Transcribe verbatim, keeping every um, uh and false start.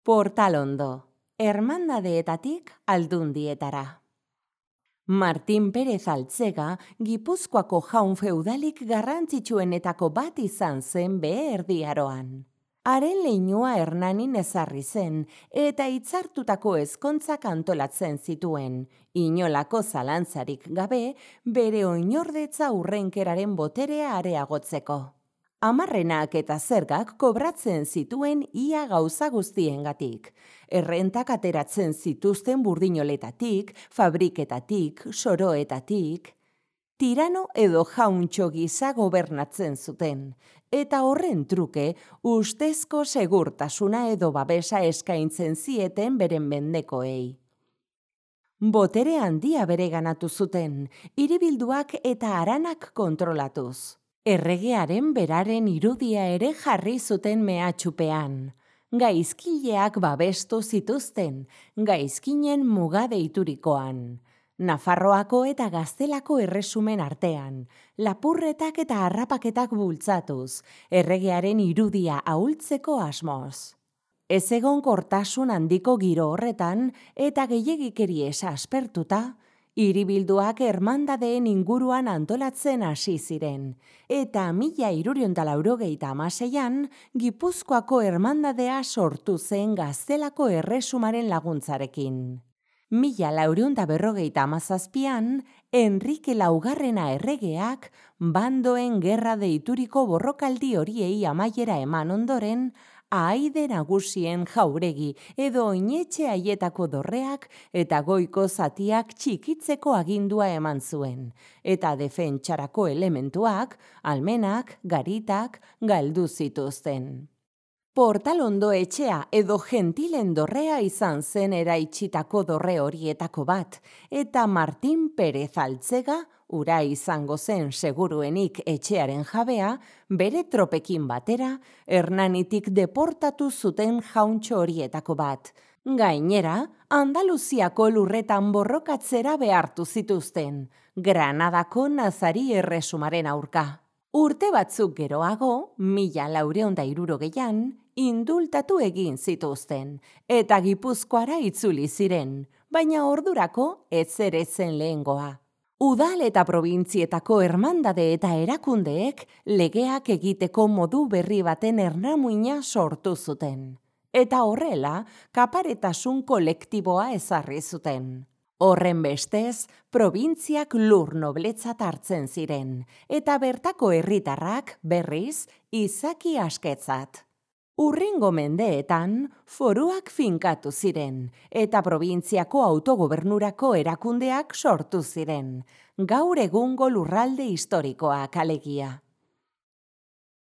Portalondo, hermandadeetatik aldundietara. Martin Perez Altzega, Gipuzkoako jaun feudalik garrantzitsuenetako bat izan zen Behe Erdi Aroan. Haren leinua Hernanin ezarri zen eta hitzartutako ezkontzak antolatzen zituen, inolako zalantzarik gabe bere oinordetza hurrenkeraren boterea areagotzeko. Amarrenak eta zergak kobratzen zituen ia gauza guztiengatik. Errentak ateratzen zituzten burdinoletatik, fabriketatik, soroetatik. Tirano edo jauntxo gisa gobernatzen zuten, eta horren truke ustezko segurtasuna edo babesa eskaintzen zieten beren mendekoei. Botere handia bereganatu zuten, hiribilduak eta haranak kontrolatuz. Erregearen beraren irudia ere jarri zuten mehatxupean. Gaizkileak babestu zituzten, gaizkinen muga deiturikoan. Nafarroako eta Gaztelako erresumen artean, lapurretak eta harrapaketak bultzatuz, erregearen irudia ahultzeko asmoz. Ez egonkortasun handiko giro horretan eta gehiegikeri esa aspertuta, hiribilduak hermandadeen inguruan antolatzen hasi ziren, eta mila hirurehun eta laurogeita hamaseian Gipuzkoako hermandadea sortu zen Gaztelako erresumaren laguntzarekin. Mila laurehun eta berrogeita hamazazpian, Enrike Laugarrena erregeak bandoen gerra deituriko borrokaldi horiei amaiera eman ondoren, ahaide nagusien jauregi edo oinetxe haietako dorreak eta goiko zatiak txikitzeko agindua eman zuen, eta defentsarako elementuak, almenak, garitak, galdu zituzten. Portalondo etxea edo gentilen dorrea izan zen eraitsitako dorre horietako bat, eta Martin Perez Altzega, ura izango zen seguruenik etxearen jabea, bere tropekin batera, Hernanitik deportatu zuten jauntxo horietako bat. Gainera, Andaluziako lurretan borrokatzera behartu zituzten, Granadako Nazari erresumaren aurka. Urte batzuk geroago, mila laurehun eta hirurogeian, indultatu egin zituzten, eta Gipuzkoara itzuli ziren, baina ordurako ez ere zen lehengoa. Udal eta probintzietako hermandade eta erakundeek legeak egiteko modu berri baten ernamuina sortu zuten. Eta horrela, kaparetasun kolektiboa ezarri zuten. Horren bestez, probintziak lur nobletzat hartzen ziren, eta bertako herritarrak berriz izaki asketzat. Urrengo mendeetan, foruak finkatu ziren, eta probintziako autogobernurako erakundeak sortu ziren, gaur egungo lurralde historikoak alegia.